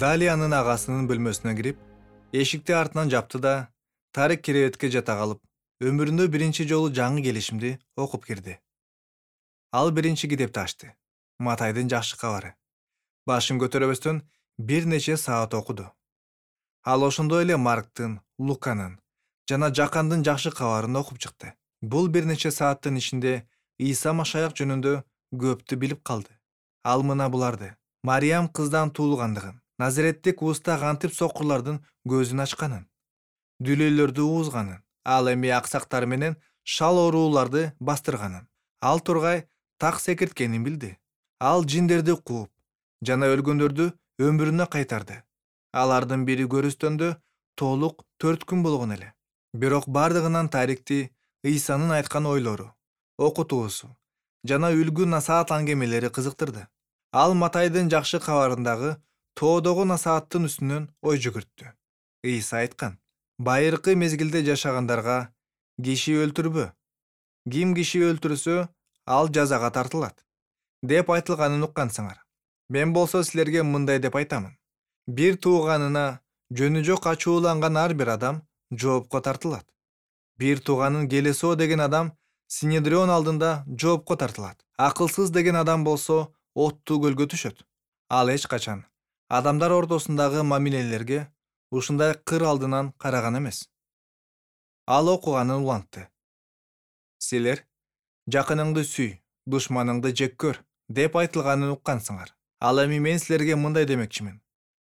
Далиянын агасынын бөлмөсүнө кирип, эшикти артынан жапты да, Тарик керебетке жата калып, өмүрүндө биринчи жолу жаңы келишимди окуп кирди. Ал биринчи китепти ачты. Матайдын жакшы кабары. Башын көтөрөбөстөн бир нече саат окуду. Ал ошондой эле Марктын, Луканын жана Жакандын жакшы кабарын окуп чыкты. Бул бир нече сааттын ичинде Ийса Машаяк жөнүндө көптү билип калды. Ал мына буларды: Мариям кыздан туулгандыгын, Назареттик уста кантип сокурлардын көзүн ачканын, дүлөйлөрдү уузганын, ал эми аксактар менен шал ооруларды бастырганын, ал тургай так секирткенин билди. Ал жиндерди кууп жана өлгөндөрдү өмүрүнө кайтарды. Алардын бири көрүстөндө толук 4 күн болгон эле. Бирок бардыгынан Тарикти Ыйсанын айткан ойлору, окутуусу жана үлгү насаат аңгемелери кызыктырды. Ал Матайдын жакшы кабарындагы тоодогу насааттын үстүнөн ой жүгүрттү. Ыйса айткан: байыркы мезгилде жашагандарга киши өлтүрбө. Ким киши өлтүрсө, ал жазага тартылат деп айтылганын уккансыңар. Мен болсо силерге мындай деп айтамын: бир тууганына жөнү жок ачууланган ар бир адам жоопко тартылат. Бир тууганын келесоо деген адам Синедрион алдында жоопко тартылат. Акылсыз деген адам болсо оттуу көлгө түшөт. Ал эч качан адамдар ортосундагы мамилелерге ушундай кыр алдынан караган эмес. Ал окуганын улантты. Силер жакыныңды сүй, душманыңды жек көр деп айтылганын уккансыңар. Ал эми мен силерге мындай демекчимин: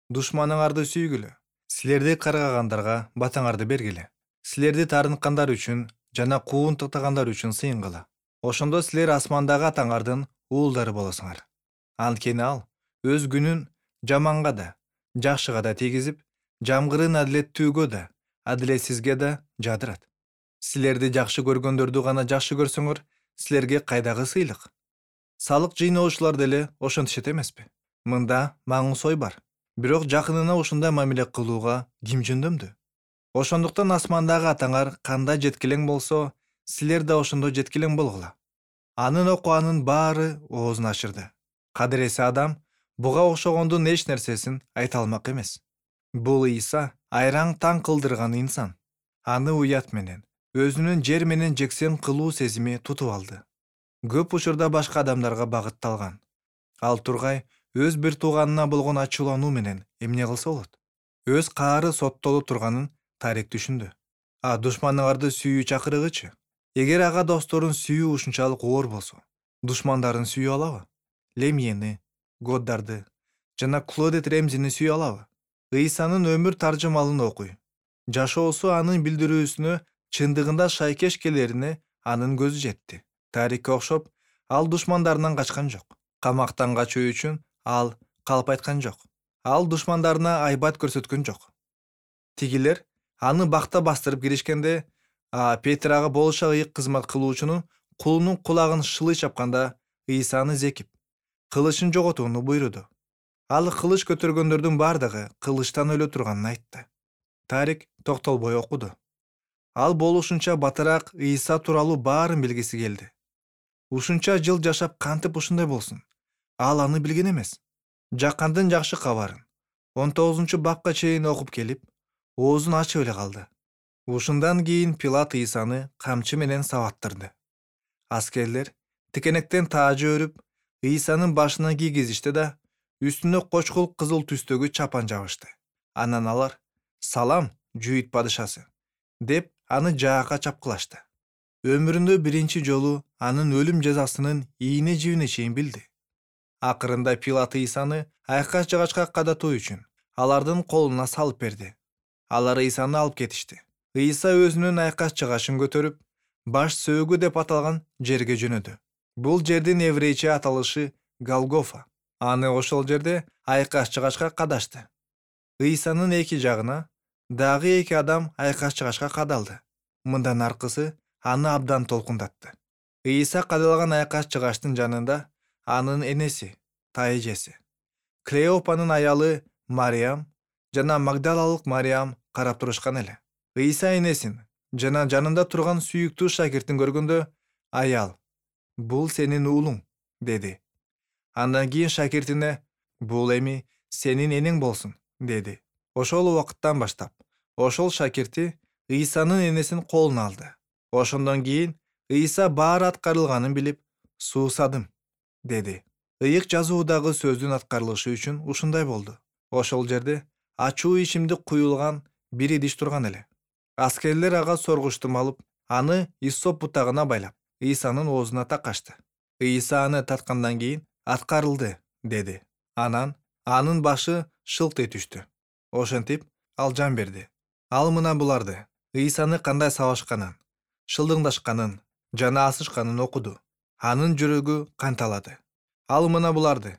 душманыңарды сүйгүлө, силерди каргагандарга батаңарды бергиле, силерди таарынткандар үчүн жана куун тактагандар үчүн сыйынгыла. Ошондо силер асмандагы атаңардын уулдары болосуңар. Анткени ал өз күнүн жаманга да, жакшыга да тийгизип, жамгырын адилеттүүгө да, адилетсизге да жадырат. Силерди жакшы көргөндөрдү гана жакшы көрсөңөр, силерге кайдагы сыйлык? Салык жыйноочулар деле ошентишет эмеспи? Мында маңыз ой бар. Бирок жакынына ушундай мамиле кылууга ким жөндөмдү? Ошондуктан асмандагы атаңар кандай жеткилең болсо, силер да ошондой жеткилең болгула. Анын окуганын баары оозун ачырды. Кадыреси адам буга окшогондун эч нерсесин айта алмак эмес. Бул Ийса айраң таң кылдырган инсан. Аны уят менен, өзүнүн жер менен жексен кылуу сезими тутуп алды. Көп учурда башка адамдарга багытталган. Ал тургай өз бир тууганына болгон ачуулануу менен эмне кылса болот? Өз каары соттоло турганын Тарик түшүндү. А душманыңарды сүйүү чакырыгычы? Эгер ага досторун сүйүү ушунчалык оор болсо, душмандарын сүйүү алабы? Лемьени, Годдарды жана Клодет Ремзини сүйүү алабы? Ыйсанын өмүр таржымалын окуй. Жашоосу анын билдирүүсүнө чындыгында шайкеш келерине анын көзү жетти. Тарикке окшоп, ал душмандарынан качкан жок. Камактан качуу үчүн ал калп айткан жок. Ал душмандарына айбат көрсөткөн жок. Тигилер аны бакта бастырып киришкенде, Петр ага болуша ыйык кызмат кылуучунун кулунун кулагын шылый чапканда, Ыйсаны зекип, кылычын жоготууну буйруду. Ал кылыч көтөргөндөрдүн бардыгы кылычтан өлө турганын айтты. Тарик токтолбой окуду. Ал болушунча батыраак Ыйса тууралуу баарын билгиси келди. Ушунча жыл жашап кантип ушундай болсун? Ал аны билген эмес. Жакандын жакшы кабарын 19-бапка чейин окуп келип, оозун ачып эле калды. Ушундан кийин Пилат Ыйсаны камчы менен сабаттырды. Аскерлер тикенектен таажы өрүп, Ыйсанын башына кийгизишти да, үстүнө кочкул кызыл түстөгү чапан жабышты. Анан алар: "Салам, Жүйүт падышасы" деп аны жаакка чапкылашты. Өмүрүндө биринчи жолу анын өлүм жазасынын ийне жибине чейин билди. Акырында Пилат Ыйсаны айкаш жыгачка кадатуу үчүн алардын колуна салып берди. Алар Ыйсаны алып кетишти. Ыйса өзүнүн айкаш жыгачын көтөрүп, баш сөөгү деп аталган жерге жөнөдү. Бул жердин еврейче аталышы Голгофа. Аны ошол жерде айкаш жыгачка кадашты. Ыйсанын эки жагына дагы эки адам айкаш жыгачка кадалды. Мындан аркысы аны абдан толкундатты. Ыйса кадалган айкаш жыгачтын жанында анын энеси, тайэжеси, Клеопанын аялы Мариям жана Магдалалык Мариям карап турушкан эле. Ыйса энесин жана жанында турган сүйүктүү шакиртин көргөндө: "Аял, бул сенин уулуң" деди. Андан кийин шакиртине: "Бул эми сенин энең болсун" деди. Ошол убакыттан баштап ошол шакирти Ыйсанын энесин колуна алды. Ошондон кийин Ыйса баары аткарылганын билип, суусадым, деди. Ыйык жазуудагы сөздүн аткарылышы үчүн ушундай болду. Ошол жерде ачуу ишимди куюлган бир идиш турган эле. Аскерлер ага соргучтум алып, аны иссоп бутагына байлап, Ыйсанын оозуна таккашты. Ыйса аны таткандан кийин аткарылды, деди. Анан анын башы шылт ете түштү. Ошентип ал жан берди. Ал мына буларды Ыйсаны кандай сабашканын, шылдыңдашканын жана асышканын окуду. Анын жүрөгү канталады. Ал мына буларды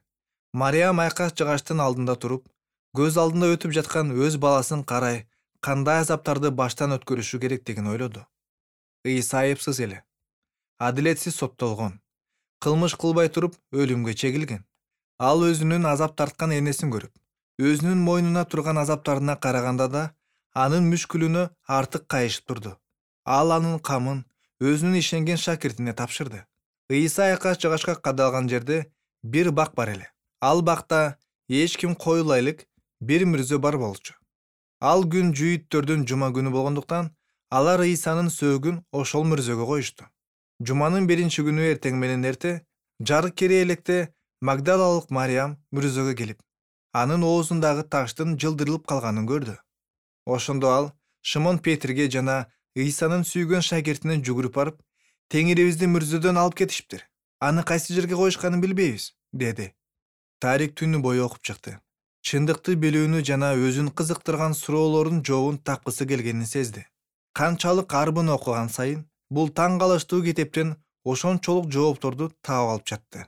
Мариям айкаш жыгачтын алдында туруп, көз алдында өтүп жаткан өз баласын карай кандай азаптарды баштан өткөрүшү керектигин ойлоду. Ыйса айыпсыз эле, адилетсиз соттолгон, кылмыш кылбай туруп өлүмгө чегилген. Ал өзүнүн азап тарткан энесин көрүп, өзүнүн мойнуна турган азаптарына караганда да анын мүшкүлүнө артык кайышып турду. Ал анын камын өзүнүн ишенген шакиртине тапшырды. Ыйса айкаш жыгачка кадалган жерде бир бак бар эле. Ал бакта эч ким коюлайлык бир мүрзө бар болчу. Ал күн жүйүттөрдүн жума күнү болгондуктан алар Ыйсанын сөөгүн ошол мүрзөгө коюшту. Жуманын биринчи күнү эртең менен эрте, жарык кере электе Магдалалык Мариям мүрзөгө келип, анын оозундагы таштын жылдырылып калганын көрдү. Ошондо ал Шымон Петрге жана Ыйсанын сүйгөн шакиртине жүгүрүп барып, Теңирибизди мүрзөдөн алып кетиштир. Аны кайсы жерге коюшканын билбейбиз, деди. Тарик түнү бою окуп чыкты. Чындыкты билүүнү жана өзүн кызыктырган суроолордун жообун тапкысы келгенин сезди. Канчалык арбын окуган сайын бул таң калыштуу китептен ошончолук жоопторду таап алып жатты.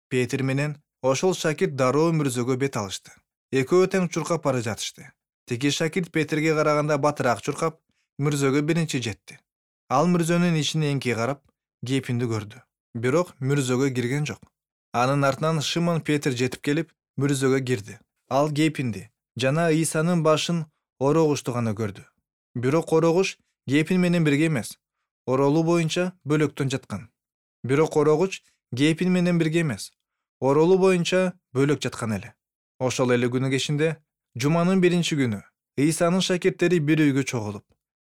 Петр менен ошол шакирт дароо мүрзөгө бет алышты. Экөө тең чуркап бара жатышты. Тиги шакирт Петрге караганда батыраак чуркап, мүрзөгө биринчи жетти. Ал мүрзөнүн ичине эңки карап, кепинди көрдү. Бирок мүрзөгө кирген жок. Анын артынан Шымон Петр жетип келип, мүрзөгө кирди. Ал кепинди жана Ыйсанын башын орогушту гана көрдү. Бирок орогуш кепин менен бирге эмес, оролуу боюнча бөлөктөн жаткан. Бирок орогуч кепин менен бирге эмес, оролуу боюнча бөлөк жаткан эле. Ошол эле күнү кечинде, жуманын биринчи күнү, Ыйсанын шакирттери бир үйгө чогулуп,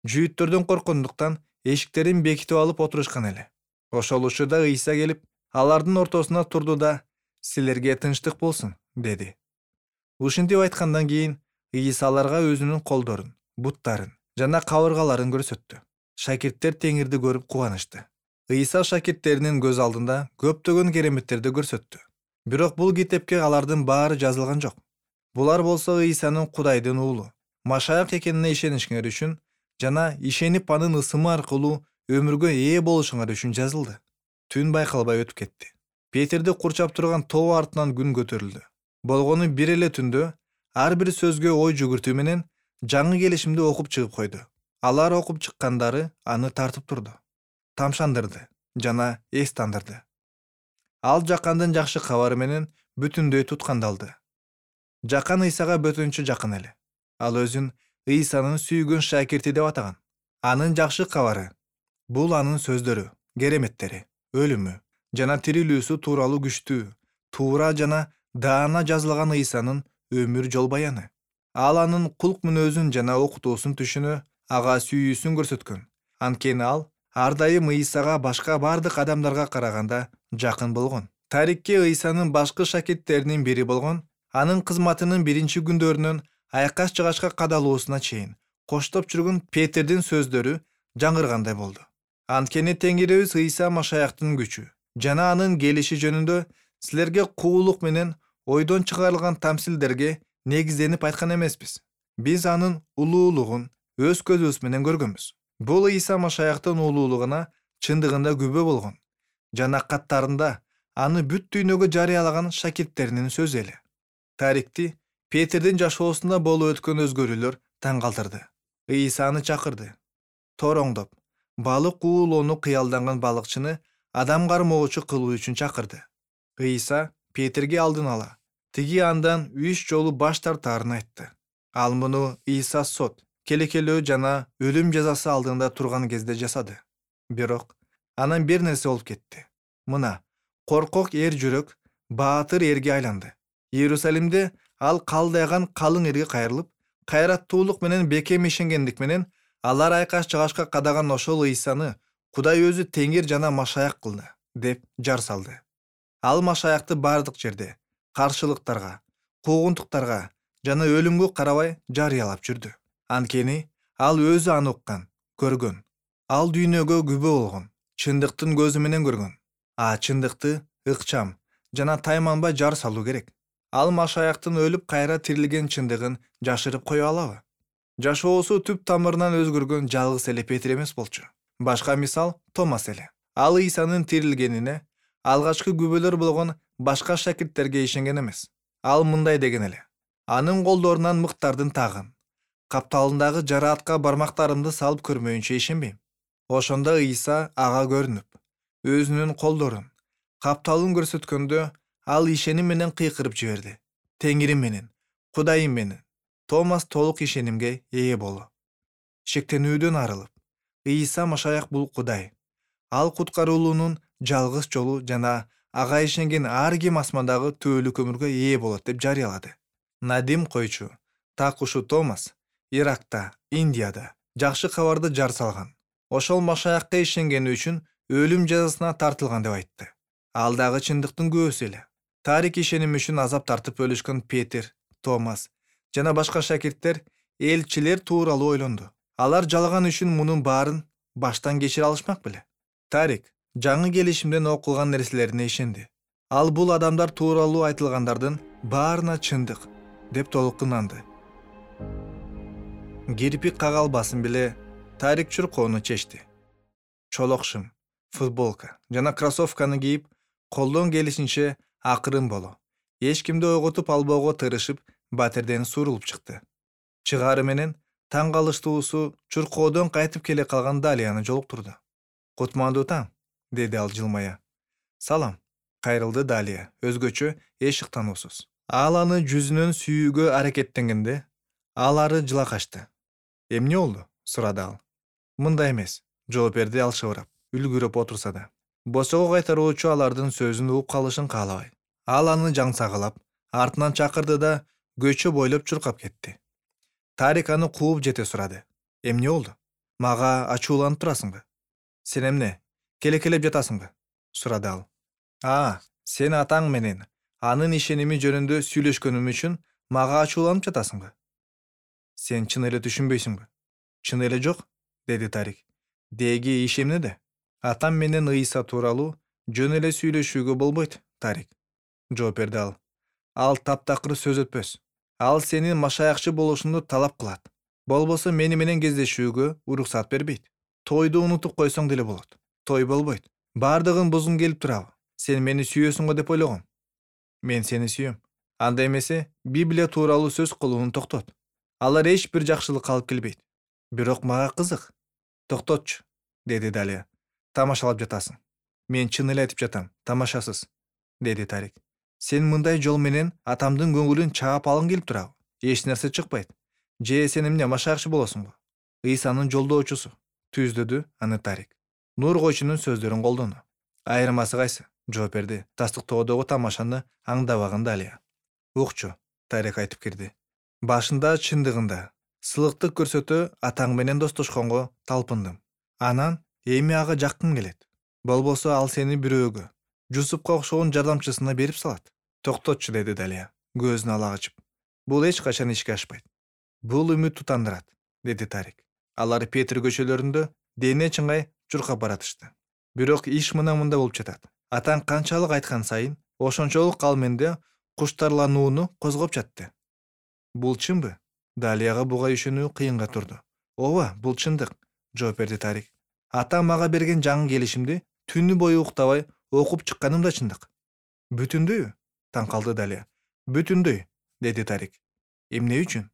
жүйүттөрдөн корккондуктан эшиктерин бекитип алып отурушкан эле. Ошол учурда Ыйса келип, алардын ортосуна турду да, силерге тынчтык болсун, деди. Ушинтип айткандан кийин Ыйса аларга өзүнүн колдорун, буттарын жана кабыргаларын көрсөттү. Шакирттер Теңирди көрүп кубанышты. Ыйса шакирттеринин көз алдында көптөгөн кереметтерди көрсөттү. Бирок бул китепке алардын баары жазылган жок. Булар болсо Ыйсанын Кудайдын уулу, Машаяк экенине ишенишиңер үчүн жана ишенип анын ысымы аркылуу өмүргө ээ болушуңар үчүн жазылды. Түн байкалбай өтүп кетти. Петерди курчап турган тоо артынан күн көтөрүлдү. Болгону бир эле түндө ар бир сөзгө ой жүгүртүү менен жаңы келишимди окуп чыгып койду. Алар окуп чыккандары аны тартып турду, тамшандырды жана эс тандырды. Ал жакандын жакшы кабары менен бүтүндөй туткандалды. Жакан Ыйсага бөтөнчө жакын эле. Ал өзүн Ыйсанын сүйгөн шакирти деп атаган. Анын жакшы кабары бул анын сөздөрү, кереметтери, өлүмү жана тирилүүсү тууралуу күчтүү, туура жана даана жазылган Ыйсанын өмүр жол баяны. Ал анын кулк мүнөзүн жана окутуусун түшүнө, ага сүйүүсүн көрсөткөн. Анткени ал ар дайым Ыйсага башка бардык адамдарга караганда жакын болгон. Тарикке Ыйсанын башкы шакирттеринин бири болгон, анын кызматынын биринчи күндөрүнөн айкаш жыгачка кадалуусуна чейин коштоп жүргөн Петердин сөздөрү жаңыргандай болду. Анткени Теңирибиз Ыйса Машаяктын күчү жана анын келиши жөнүндө силерге куулук менен ойдон чыгарылган тамсилдерге негизденип айткан эмеспиз. Биз анын улуулугун өз көзүбүз менен көргөнбүз. Бул Ыйса Машаяктын улуулугуна чындыгында күбө болгон жана каттарында аны бүт дүйнөгө жарыялаган шакирттеринин сөзү эле. Тарикти Петердин жашоосунда болуп өткөн өзгөрүүлөр таң калтырды. Ыйса аны чакырды. Тороңдоп, балык уулоону кыялданган балыкчыны адам кармоочу кылуу үчүн чакырды. Ыйса Петерге алдын ала тиги андан 3 жолу баш тартаарын айтты. Ал муну Ыйса сот, келекелөө жана өлүм жазасы алдында турган кезде жасады. Бирок анан бир нерсе болуп кетти. Мына, коркок эр жүрөк баатыр эрге айланды. Иерусалимде Ал калдайган калың элге кайрылып, кайраттуулук менен бекем ишенгендик менен алар айкаш жагашка кадаган ошол Ыйсаны Кудай өзү теңир жана машаяк кылды деп жар салды. Ал машаякты бардык жерде каршылыктарга, куугунтуктарга жана өлүмгө карабай жарыялап жүрдү. Анткени ал өзү аны уккан, көргөн. Ал дүйнөгө күбө болгон, чындыктын көзү менен көргөн. Чындыкты ыкчам жана тайманбай жар салуу керек. Ал машаяктын өлүп кайра тирилген чындыгын жашырып кое алабы? Жашоосу түп тамырынан өзгөргөн жалгыз эле Петр эмес болчу. Башка мисал Томас эле. Ал Ыйсанын тирилгенине алгачкы күбөлөр болгон башка шакирттерге ишенген эмес. Ал мындай деген эле: анын колдорунан мыктардын тагын, капталындагы жараатка бармактарымды салып көрмөйүнчө ишенбейм. Ошондо Ыйса ага көрүнүп, өзүнүн колдорун, капталын көрсөткөндө ал ишеним менен кыйкырып жиберди: Теңирим менен, Кудайым менен. Томас толук ишенимге ээ болду. Шектенүүдөн арылып, Ыйса машаяк бул Кудай. Ал куткаруунун жалгыз жолу жана ага ишенген ар ким асмандагы түбөлүк өмүргө ээ болот деп жарыялады. Надим койчу, такушу Томас Иракта, Индияда жакшы кабарды жар салган. Ошол машаякка ишенгени үчүн өлүм жазасына тартылган деп айтты. Ал дагы чындыктын күбөсү эле. Тарик ишеним үчүн азап тартып өлүшкөн Петр, Томас жана башка шакирттер элчилер тууралуу ойлонду. Алар жалган үчүн мунун баарын баштан кечире алышмак беле? Тарик жаңы келишимден окулган нерселерине ишенди. Ал бул адамдар тууралуу айтылгандардын баарына чындык деп толук ынанды. Кирпик кагалбасын беле Тарик чуркоону чечти. Чолок шым, футболка жана кроссовканы кийип, колдон келишинче акырын боло, эч кимди ойготуп албоого тырышып, батирден сурулуп чыкты. Чыгаары менен таң калыштуусу чуркоодон кайтып келе калган Далияны жолуктурду. Кутмандуу таң, деди ал жылмая. Салам, кайрылды Далия, өзгөчө эч ыктануусуз. Ал аны жүзүнөн сүйүүгө аракеттенгенде, ал ары жыла качты. Эмне болду? Сурады ал. Мындай эмес, жооп берди ал шыбырап, үлгүрөп отурса да. Босого кайтаруучу алардын сөзүн угуп калышын каалабай. Ал аны жаңсагылап, артынан чакырды да көчө бойлоп чуркап кетти. Тарик аны кууп жете сурады. Эмне болду? Мага ачууланып турасыңбы? Сен эмне, келекелеп жатасыңбы? Сурады ал. Сен атаң менен анын ишеними жөнүндө сүйлөшкөнүм үчүн мага ачууланып жатасыңбы? Сен чын эле түшүнбөйсүңбү? Чын эле жок, деди Тарик. Деги иш эмнеде? Атам менен Ыйса тууралуу жөн эле сүйлөшүүгө болбойт, Тарик, жооп берди ал. Ал таптакыр сөз өтпөс. Ал сенин машаякчы болушуңду талап кылат. Болбосо мени менен кездешүүгө уруксат бербейт. Тойду унутуп койсоң деле болот. Той болбойт. Бардыгын бузгуң келип турабы? Сен мени сүйөсүң го деп ойлогом. Мен сени сүйөм. Анда эмесе Библия тууралуу сөз кылууну токтот. Алар эч бир жакшылык алып келбейт. Бирок мага кызык. Токтотчу, деди Далия. Тамашалап жатасың. Мен чын эле айтып жатам, тамашасыз, деди Тарик. Сен мындай жол менен атамдын көңүлүн чаап алгың келип турабы? Эч нерсе чыкпайт. Же сен эмне машаякчы болосуңбу? Ыйсанын жолдоочусу, түздүдү аны Тарик. Нур койчунун сөздөрүн колдону. Айырмасы кайсы? Жооп берди тастыктоодогу тамашаны аңдабаган Далия. Укчу, Тарик айтып кирди. Башында чындыгында сылыктык көрсөтө атаң менен достошконго талпындым. Анан эми ага жаккым келет. Болбосо ал сени бирөөгө, Жусупка окшогон жардамчысына берип салат. Токтотчу, деди Далия, көзүн ала ачып. Бул эч качан ишке ашпайт. Бул үмүт тутандырат, деди Тарик. Алар Петр көчөлөрүндө дене чыңгай чуркап баратышты. Бирок иш мында болуп жатат. Атаң канчалык айткан сайын, ошончолук ал менде куштарланууну козгоп жатты. Бул чынбы? Далияга буга ишенүү кыйынга турду. Ооба, бул чындык, жооп берди Тарик. Атам мага берген жаңы келишимди түнү бою уктабай окуп чыкканым да чындык. Бүтүндөйбү? Таң калды Далия. Бүтүндөй, деди Тарик. Эмне үчүн?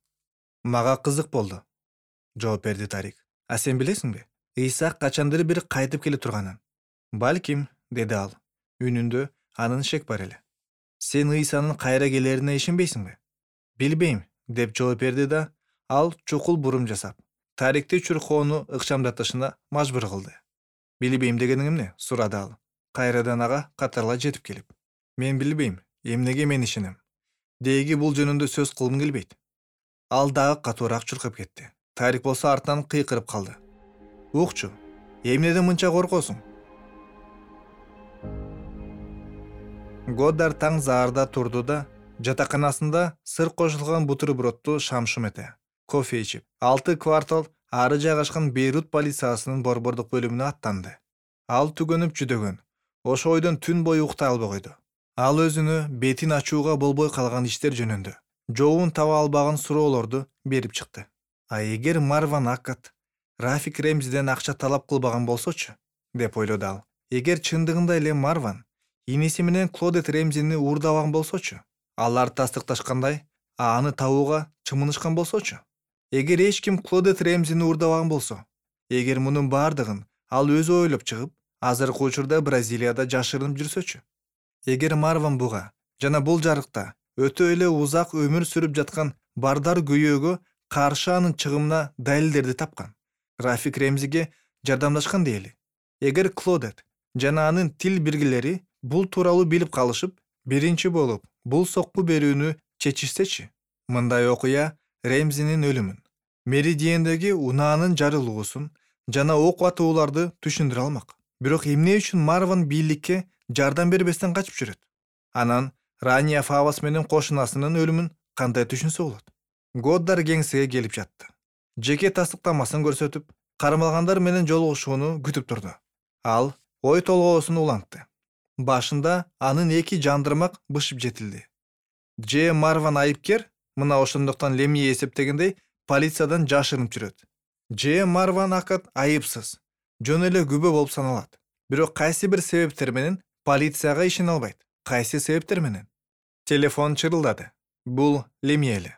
Мага кызык болду, жооп берди Тарик. Сен билесиңби? Ыйса качандыр бир кайтып келе турганын. Балким, деди ал. Үнүндө анын шек бар эле. Сен Ыйсанын кайра келерине ишенбейсиңби? Билбейм, деп жооп берди да, ал чукул бурум жасап, Тарикти чуркоону ыкчамдатышына мажбур кылды. Билбейм дегениң эмне? Сурады ал. Кайрадан ага катарлай жетип келип. Мен билбейм, эмнеге мен ишенем. Деги бул жөнүндө сөз кылгым келбейт. Ал дагы катуураак чуркап кетти. Тарик болсо артынан кыйкырып калды. Укчу, эмнеден мынча коркосуң? Годдар таң заарда турду да, жатаканасында сыр кошулган бутербродду шам-шум эте, кофе ичип, 6 квартал ары жайгашкан Бейрут полициясынын борбордук бөлүмүнө аттанды. Ал түгөнүп жүдөгөн. Ошо ойдон түн бою уктай албай койду. Ал өзүнө бетин ачууга болбой калган иштер жөнүндө жообун таба албаган суроолорду берип чыкты. А эгер Марван Акат Рафик Ремзиден акча талап кылбаган болсочу, деп ойлоду ал. Эгер чындыгында эле Марван иниси менен Клодет Ремзини уурдабаган болсочу, алар тастыкташкандай, аны табууга чымынышкан болсочу. Эгер эч ким Клодет Ремзини уурдабаган болсо, эгер мунун бардыгын ал өзү ойлоп чыгып, азыркы учурда Бразилияда жашырынып жүрсөчү. Эгер Марван буга жана бул жарыкта өтө эле узак өмүр сүрүп жаткан бардар күйөөгө каршы анын чыгымына далилдерди тапкан, Рафик Ремзиге жардамдашкан дейли. Эгер Клодет жана анын тил биргелери бул тууралуу билип калышып, биринчи болуп бул сокку берүүнү чечишсечи, мындай окуя Ремзинин өлүмүн, Меридиендеги унаанын жарылуусун жана ок атууларды түшүндүрө алмак. Бирок эмне үчүн Марван бийликке жардам бербестен качып жүрөт? Анан Рания Фавас менен кошунасынын өлүмүн кандай түшүнсө болот? Годдар кеңсеге келип жатты. Жеке тастыктамасын көрсөтүп, кармалгандар менен жолугушууну күтүп турду. Ал ой толгоосун улантты. Башында анын 2 жандырмак бышып жетилди. Же Марван айыпкер, мына ошондуктан Лемье эсептегендей полициядан жашырынып жүрөт. Же Марван Акат айыпсыз, жөн эле күбө болуп саналат. Бирок кайсы бир себептер менен полицияга ишене албайт. Кайсы себептер менен? Телефон чырылдады. Бул Лемье.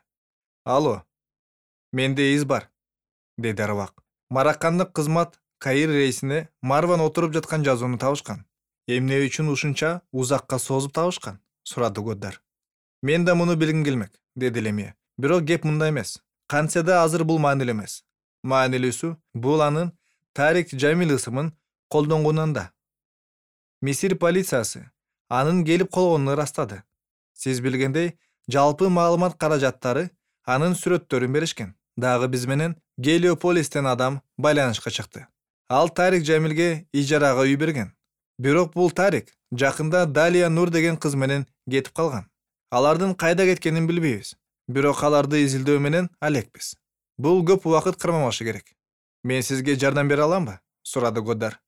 Алло, менде из бар, деди арбак. Маракандык кызмат Каир рейсине Марван отуруп жаткан жазууну табышкан. Эмне үчүн ушунча узакка созуп табышкан? Сурады Годдар. Мен да муну билгим келмек, деди Лемье. Бирок кеп мында эмес. Кантсе да азыр бул маанилүү эмес. Маанилүүсү бул анын Тарик Жамил ысымын колдонгонунан да. Мисир полициясы анын келип колгонун ырастады. Сиз билгендей, жалпы маалымат каражаттары анын сүрөттөрүн беришкен. Дагы биз менен Гелиополистен адам байланышка чыкты. Ал Тарик Жамилге ижарага үй берген. Бирок бул Тарик жакында Далия Нур деген кыз менен кетип калган. Алардын кайда кеткенин билбейбиз. Бирок аларды изилдөө менен алекпиз. Бул көп убакыт кармамашы керек. Мен сизге жардам бере аламбы? Сурады Годдар.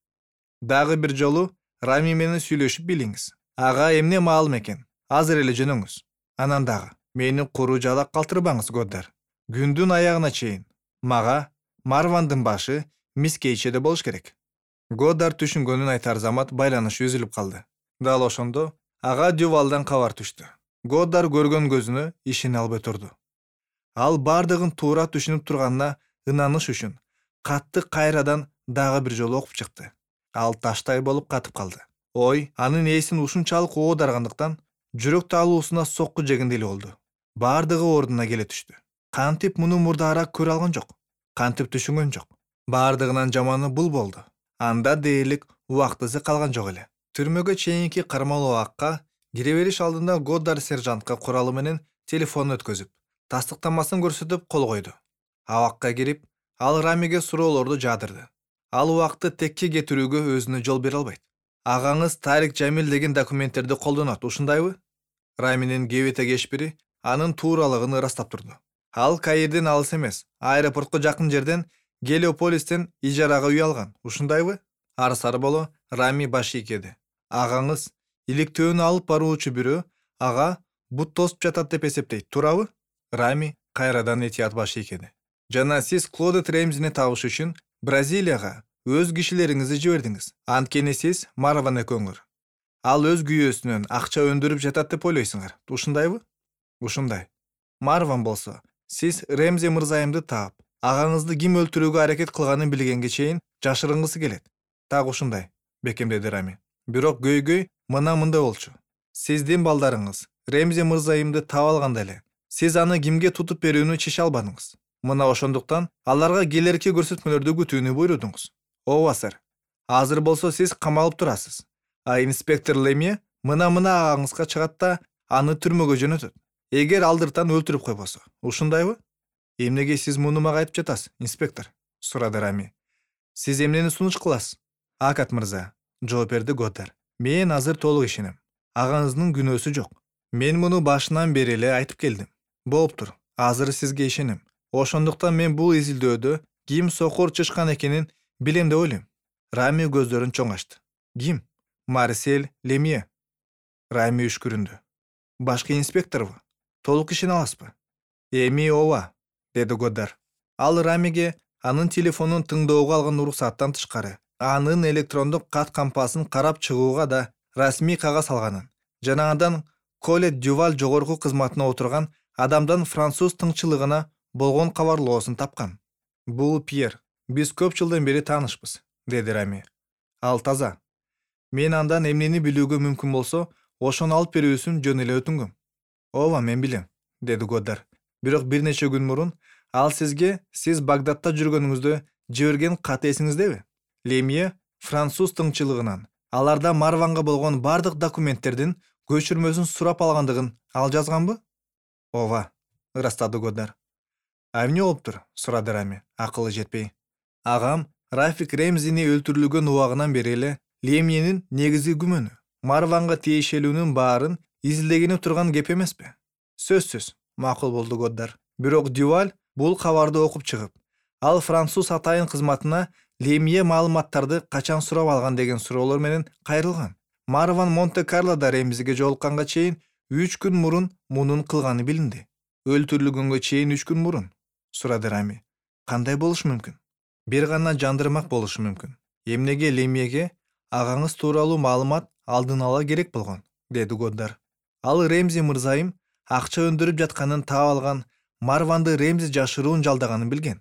Дагы бир жолу Рами менен сүйлөшүп билиңиз. Ага эмне маалым экен? Азыр эле жөнөңүз. Анан дагы мени куру жалак калтырбаңыз, Годдар. Күндүн аягына чейин мага Марвандын башы мискейчеде болуш керек. Годдар түшүнгөнүн айтар замат байланыш үзүлүп калды. Дал ошондо ага Дювалдан кабар түштү. Годдар көргөн көзүнө ишене албай турду. Ал бардыгын туура түшүнүп турганына ынаныш үчүн катты кайрадан дагы бир жолу окуп чыкты. Ал таштай болуп катып калды. Ой, анын ээсин ушунчалык оодаргандыктан жүрөк талуусуна сокку жегендей эле болду. Бардыгы ордуна келе түштү. Кантип муну мурдаарак көрө алган жок? Кантип түшүнгөн жок? Бардыгынан жаманы бул болду. Анда дээрлик убактысы калган жок эле. Түрмөгө чейинки кармалуу акка кире бериш алдында Годдар сержантка куралы менен телефон өткөзүп, тастыктамасын көрсөтүп кол койду. Абакка кирип, ал Рамиге суроолорду жаадырды. Ал убакытты текке кетирүүгө өзүнө жол бере албайт. Агаңыз Тарик Жамил деген документтерди колдонот, ушундайбы? Раминин кебете кешпири анын тууралыгын ырастап турду. Ал Каирден алыс эмес, аэропортко жакын жерден Гелиополистен ижарага үй алган, ушундайбы? Ар-сары боло Рами баш ийкеди. Агаңыз иликтөөнү алып баруучу бирөө ага бут тосуп жатат деп эсептейт, туурабы? Рами кайрадан этият баш ийкеди. Жана сиз Клодет Ремзини табыш үчүн Бразилияга өз кишилериңизди жибердиңиз. Анткени сиз Марван экөөңөр. Ал өз күйөөсүнөн акча өндүрүп жатат деп ойлойсуңар, ушундайбы? Ушундай. Марван болсо, сиз Ремзи мырзайымды таап, агаңызды ким өлтүрүүгө аракет кылганын билгенге чейин жашырынгысы келет. Так ушундай, бекемдеди Рами. Бирок көйгөй мындай болчу. Сиздин балдарыңыз Ремзи мырзайымды таап алганда эле, сиз аны кимге тутуп берүүнү чече албадыңыз. Мына ошондуктан аларга келерки көрсөтмөлөрдү күтүүнү буйрудуңуз. Ооба, сэр. Азыр болсо сиз камалып турасыз. А инспектор Лемье мына агаңызга чыгат да аны түрмөгө жөнөтөт. эгер алдыртан өлтүрүп койбосо. Ушундайбы? Эмнеге сиз муну мага айтып жатасыз, инспектор? Сурады Рами. Сиз эмнени сунуш кыласыз? Акат мырза, жооп берди Годдар. Мен азыр толук ишенем. Агаңыздын күнөөсү жок. Мен муну башынан бери эле айтып келдим. Болуптур. Азыр сизге ишенем. Ошондуктан мен бул изилдөөдө ким сокур чычкан экенин билем деп ойлойм. Рами көздөрүн чоң ачты. Ким? Марсель Лемье. Рами үшкүрүндү. Башкы инспекторбу? Толук ишене аласызбы? Эми ооба, деди Годдар. Ал Рамиге анын телефонун тыңдоого алган уруксаттан тышкары, анын электрондук кат кампасын карап чыгууга да расмий кагаз алганын жана андан Колет Дюваль жогорку кызматына отурган адамдан француз тыңчылыгына болгон кабарлоосун тапкан. Бул Пьер. Биз көп жылдан бери таанышпыз, деди Рами. Ал таза. Мен андан эмнени билүүгө мүмкүн болсо, ошону алып берүүсүн жөн эле өтүнгөм. Ооба, мен билем, деди Годдар. Бирок бир нече күн мурун ал сизге сиз Багдадта жүргөнүңүздө жиберген кат эсиңиздеби? Лемье француз тыңчылыгынан аларда Марванга болгон бардык документтердин көчүрмөсүн сурап алгандыгын ал жазганбы? Ооба, ырастады Годдар. А эмне болуптур? Сурады Рами, акылы жетпей. Агам Рафик Ремзини өлтүрүлгөн убагынан бери эле Лемьенин негизги күмөнү Марванга тиешелүүнүн баарын изилдегени турган кеп эмеспи? Сөзсүз, макул болду Годдар. Бирок Дюваль бул кабарды окуп чыгып, ал француз атайын кызматына Лемье маалыматтарды качан сурап алган деген суроолор менен кайрылган. Марван Монте-Карлода Ремзиге жолукканга чейин 3 күн мурун мунун кылганы билинди. Өлтүрүлгөнгө чейин 3 күн мурун? Сурады Рами. Кандай болушу мүмкүн? Бир гана жандырмак болушу мүмкүн. Эмнеге Лемьеге агаңыз тууралуу маалымат алдын ала керек болгон, деди Годдар. Ал Ремзи мырзайым акча өндүрүп жатканын таап алган Марванды Ремзи жашыруун жалдаганын билген.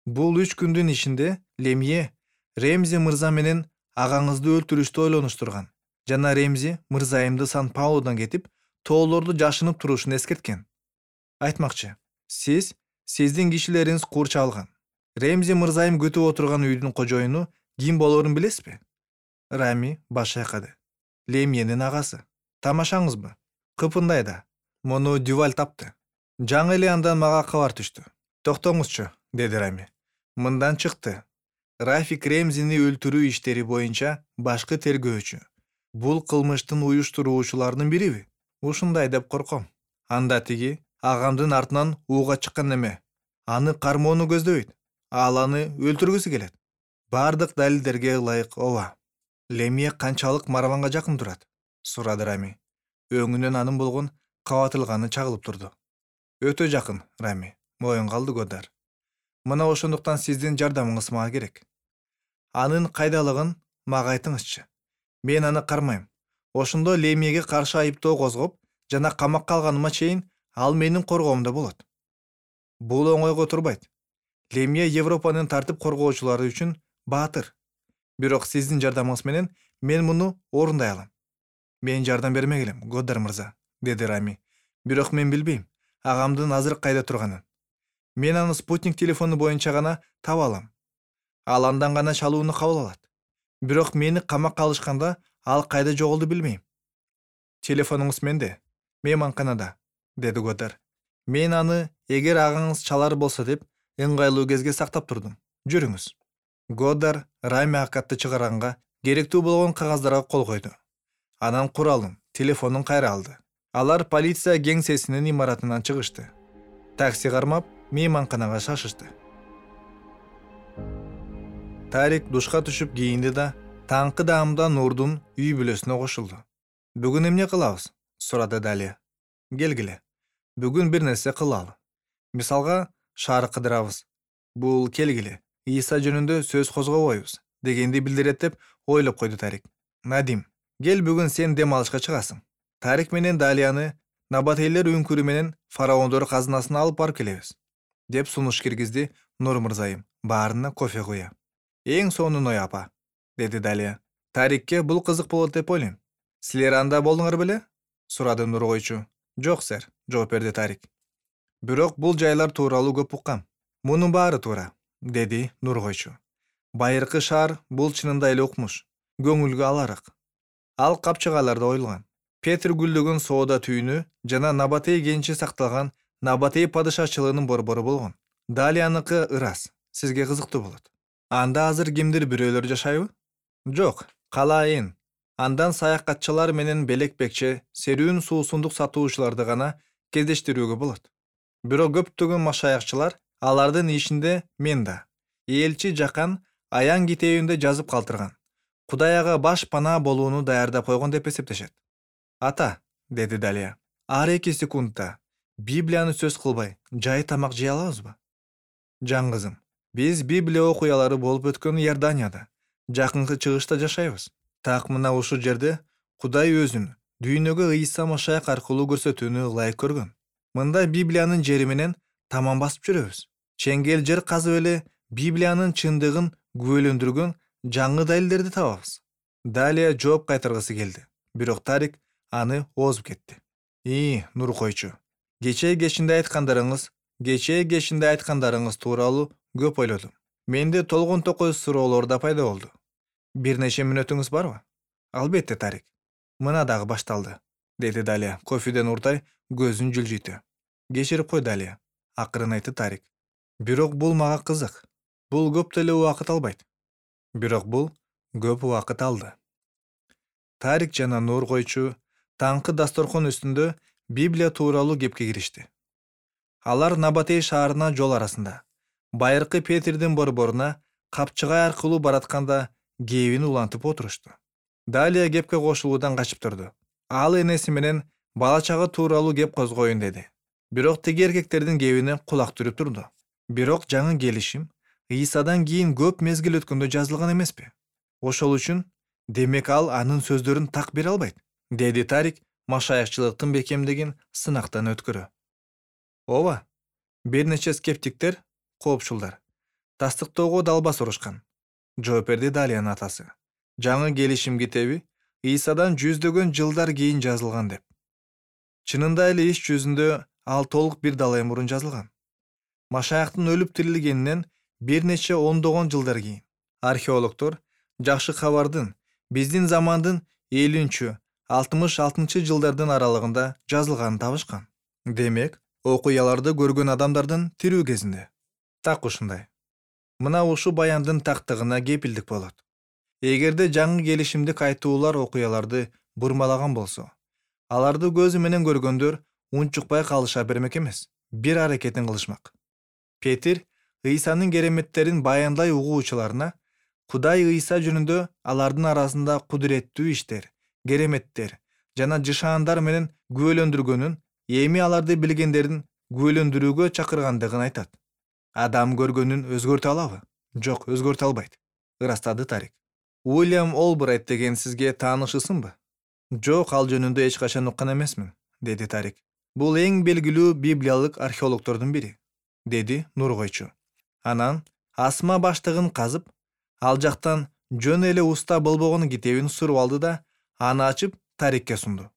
Бул 3 күндүн ичинде Лемье Ремзи мырза менен агаңызды өлтүрүштү ойлонуштурган жана Ремзи мырзайымды Сан-Паулудан кетип, тоолорду жашынып турушун эскерткен. Айтмакчы, сиздин кишилериңиз курчалган. Ремзи мырзайым күтүп отурган үйдүн кожоюну ким болорун билесизби? Рами баш айкады. Лемьенин агасы. Тамашаңызбы? Кыпындайда. Муну Дюваль тапты. Жаңы эле андан мага кабар түштү. Токтоңузчу, деди Рами. Мындан чыкты. Рафик Ремзини өлтүрүү иштери боюнча башкы тергөөчү. Бул кылмыштын уюштуруучуларынын бириби? Ушундай деп корком. Анда тиги агамдын артынан ууга чыккан неме? Аны кармоону көздөбөйт. Ал аны өлтүргүсү келет. Бардык далилдерге ылайык ооба. Лемье канчалык Марванга жакын турат? Сурады Рами. Өңүнөн анын болгон кабатылганы чагылып турду. Өтө жакын, Рами, моюн калды Годдар. Мына ошондуктан сиздин жардамыңыз мага керек. Анын кайдалыгын мага айтыңызчы. Мен аны кармайм. Ошондо Лемьеге каршы айыптоо козгоп жана камакка алганыма чейин ал менин коргоомдо болот. Бул оңойго турбайт. Лемье Европанын тартип коргоочулары үчүн баатыр. Бирок сиздин жардамыңыз менен мен муну орундай алам. Мен жардам бермек элем, Годдар мырза, деди Рами. Бирок мен билбейм агамдын азыр кайда турганын. Мен аны спутник телефону боюнча гана таба алам. Ал андан гана чалууну кабыл алат. Бирок мени камакка алышканда ал кайда жоголду билбейм. Телефонуңуз менде, мейманканада, деди Годдар. Мен аны эгер агаңыз чалар болсо деп ыңгайлуу кезге сактап турдум. Жүрүңүз. Годдар Рами акатты чыгарганга керектүү болгон кагаздарга кол койду. Анан куралын, телефонун кайра алды. Алар полиция кеңсесинин имаратынан чыгышты. Такси кармап, мейманканага шашышты. Тарик душка түшүп кийинди да, таңкы даамда Нурдун үй бүлөсүнө кошулду. Бүгүн эмне кылабыз? Сурады Далия. Келгиле. Бүгүн бир нерсе кылалы. Мисалга, шаар кыдырабыз. Бул келгиле. Иса жөнүндө сөз козгобойбуз, дегенди билдирет деп ойлоп койду Тарик. Надим, кел бүгүн сен дем алышка чыгасың. Тарик менен Далияны набатейлер үңкүрү менен фараондор казынасына алып барып келебиз, деп сунуш киргизди Нур мырзайым, баарына кофе куя. Эң сонун апа, деди Далия. Тарикке бул кызык болот деп ойлойм. Силер анда болдуңар беле? Сурады Нур койчу. Жок, сэр, жооп берди Тарик. Бирок бул жайлар тууралуу көп уккам. Мунун баары туура, деди Нур койчу. Байыркы шаар бул чынында эле укмуш, көңүлгө аларык. Ал капчыгаларда оюлган. Петр гүлдөгөн соода түйүнү жана Набатей кенчи сакталган Набатей падышачылыгынын борбору болгон. Далияныкы ырас. Сизге кызыктуу болот. Анда азыр кимдир бирөөлөр жашайбы? Жок, кала айын. Андан саякатчылар менен белек-бекче, серүүн суусундук сатуучуларды гана кездештирүүгө болот. Бирок көптөгөн машаякчылар алардын ишинде мен да. Элчи Жакан Аян китебинде жазып калтырган. Кудай ага баш панаа болууну даярдап койгон деп эсептешет. Ата, деди Далия, ар 2 секундта Библияны сөз кылбай, жай тамак жей алабызбы? Жан кызым, биз Библия окуялары болуп өткөн Иорданияда, жакынкы чыгышта жашайбыз. Так мына ушул жерде Кудай өзүн дүйнөгө Ыйса Машаяк аркылуу көрсөтүүнү ылайык көргөн. Мында Библиянын жери менен таман басып жүрөбүз. Чеңгел жер казып эле Библиянын чындыгын күбөлөндүргөн жаңы далилдерди табабыз. Далия жооп кайтаргысы келди. Бирок Тарик аны озуп кетти. Нур койчу. Кечээ кешинде айткандарыңыз тууралуу көп ойлодум. Менде толгон токой суроолор да пайда болду. Бир нече мүнөтүңүз барбы? Албетте, Тарик. Мына дагы башталды, деди Далия кофеден уртай көзүн жылжыйтты. Кечирип кой, Далия, акырын айтты Тарик. Бирок бул мага кызык. Бул көп деле убакыт албайт. Бирок бул көп убакыт алды. Тарик жана Нур койчу таңкы дасторкон үстүндө Библия тууралуу кепке киришти. Алар Набатей шаарына жол арасында, байыркы Петрдин борборуна капчыгай аркылуу баратканда кебин улантып отурушту. Далия кепке кошулуудан качып турду. Ал энеси менен бала чага тууралуу кеп козгоюн деди. Бирок тиги эркектердин кебине кулак түрүп турду. Бирок жаңы келишим Ыйсадан кийин көп мезгил өткөндө жазылган эмеспи? Ошол үчүн демек ал анын сөздөрүн так бере албайт, деди Тарик машаякчылыктын бекемдигин сынактан өткөрө. Ооба, бир нече скептиктер, коопчулдар тастыктоого далбас урушкан. Жооп берди Далиянын атасы. Жаңы келишим китеби Ыйсадан жүздөгөн жылдар кийин жазылган деп. Чынында эле иш жүзүндө ал толук бир далай мурун жазылган. Машаяктын өлүп тирилгенинен бир нече ондогон жылдар кийин. Археологдор жакшы кабардын биздин замандын 50-66 жылдардын аралыгында жазылганын табышкан. Демек, окуяларды көргөн адамдардын тирүү кезинде. Так ушундай. Мына ушу баяндын тактыгына кепилдик болот. Эгерде жаңы келишимдик айтуулар окуяларды бурмалаган болсо, аларды көзү менен көргөндөр унчукпай калыша бермек эмес, бир аракетин кылышмак. Петр Ыйсанын кереметтерин баяндай угуучуларына Кудай Ыйса жөнүндө алардын арасында кудуреттүү иштер, кереметтер жана жышаандар менен күбөлөндүргөнүн, эми аларды билгендерин күбөлөндүрүүгө чакыргандыгын айтат. Адам көргөнүн өзгөртө алабы? Жок, өзгөртө албайт, ырастады Тарик. Уильям Олбрайт деген сизге таанышысынбы? Жок, ал жөнүндө эч качан уккан эмесмин, деди Тарик. Бул эң белгилүү библиялык археологдордун бири, деди Нур койчу. Анан асма баштыгын казып, ал жактан жөн эле уста болбогон китебин суруп алды да, аны ачып Тарикке сунду.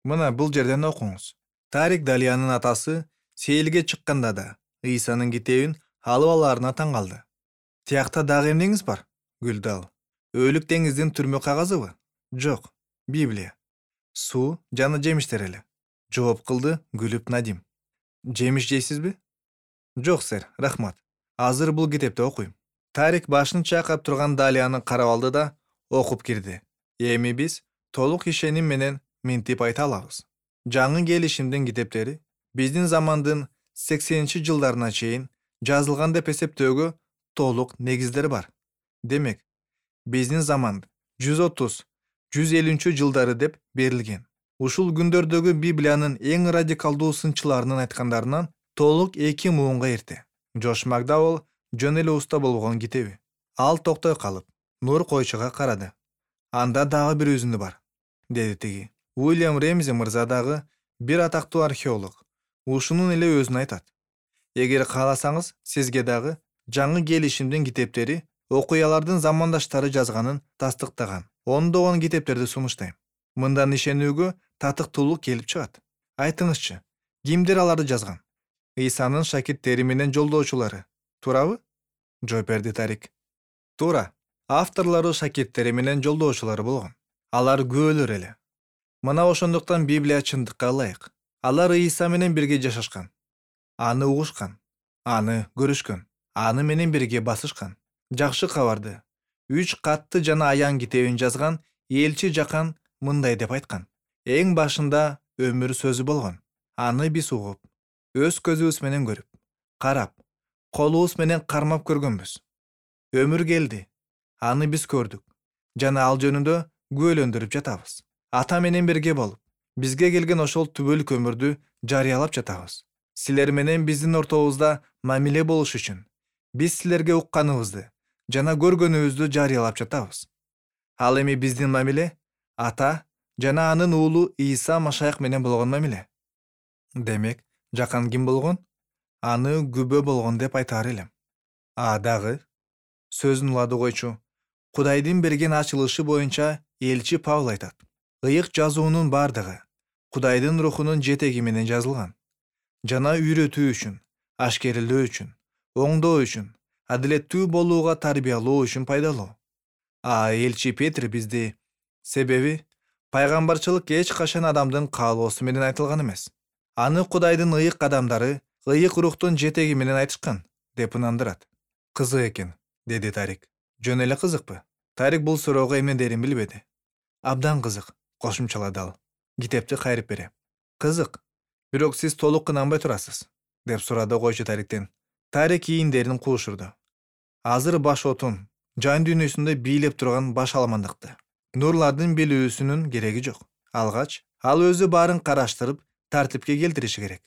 Мына бул жерден окуңуз. Тарик Далиянын атасы сейилге чыкканда да Ыйсанын китебин алып алаарына таң калды. Тиякта дагы эмнеңиз бар? Күлдү ал. Өлүк деңиздин түрмө кагазыбы? Жок, Библия. Суу жана жемиштер эле. Жооп кылды күлүп Надим. Жемиш жейсизби? Жок, сэр, рахмат. Азыр бул китепти окуйм. Тарик башын чайкап турган Далияны карап алды да окуп кирди. Эми биз толук ишеним менен минтип айта алабыз. Жаңы келишимдин китептери биздин замандын 80-жылдарына чейин жазылган деп эсептөөгө толук негиздер бар. Демек, биздин заман 130-150 жылдары деп берилген. Ушул күндөрдөгү Библиянын эң радикалдуу сынчыларынын айткандарынан толук 2 муунга эрте. Джош Макдауэлл жөн эле уста болгон китеби. Ал токтой калып, Нур койчуга карады. Анда дагы бир үзүндү бар, деди тиги. Уильям Ремзи мырза дагы бир атактуу археолог. Ушунун эле өзүн айтат. Эгер кааласаңыз, сизге дагы жаңы келишимдин китептери окуялардын замандаштары жазганын тастыктаган ондогон китептерди сунуштайм. Мындан ишенүүгө татыктуулук келип чыгат. Айтыңызчы, кимдер аларды жазган? Ыйсанын шакирттери менен жолдоочулары, туурабы? Жооп берди Тарик. Туура. Авторлору шакирттери менен жолдоочулары болгон. Алар күбөлөр эле. Мына ошондуктан Библия чындыкка ылайык. Алар Ийса менен бирге жашашкан, аны угушкан, аны көрүшкөн, аны менен бирге басышкан. Жакшы кабарды 3 катты жана аян китебин жазган элчи Жакан мындай деп айткан: эң башында өмүр сөзү болгон. Аны биз угуп, өз көзүбүз менен көрүп, карап, колубуз менен кармап көргөнбүз. Өмүр келди, аны биз көрдүк жана ал жөнүндө күбөлөндүрүп жатабыз. Ата менен бирге болуп, бизге келген ошол түбөлүк өмүрдү жарыялап жатабыз. Силер менен биздин ортобузда мамиле болуш үчүн биз силерге укканыбызды жана көргөнүбүздү жарыялап жатабыз. Ал эми биздин мамиле Ата жана анын уулу Ийса Машаяк менен болгон мамиле. Демек, Жакан ким болгон? Аны күбө болгон деп айтаар элем. Дагы сөзүн улады койчу. Кудайдын берген ачылышы боюнча элчи Павыл айтат: ыйык жазуунун бардыгы Кудайдын рухунун жетеги менен жазылган жана үйрөтүү үчүн, ашкерелөө үчүн, оңдоо үчүн, адилеттүү болууга тарбиялоо үчүн пайдалуу. Элчи Петр бизди, себеби пайгамбарчылык эч качан адамдын каалоосу менен айтылган эмес. Аны Кудайдын ыйык адамдары ыйык рухтун жетеги менен айтышкан деп ынандырат. Кызык экен, деди Тарик. Жөн эле кызыкпы? Тарик бул суроого эмне дерин билбеди. Абдан кызык, кошумчалады ал. Китепти кайрып бере. Кызык, бирок сиз толук ынанбай турасыз, деп сурады койчу Тариктен. Тарик кийиндерин куушурду. Азыр баш отун, жан дүйнөсүндө бийлеп турган баш аламандыкты нурлардын билүүсүнүн кереги жок. Алгач, ал өзү баарын караштырып, тартипке келтириши керек.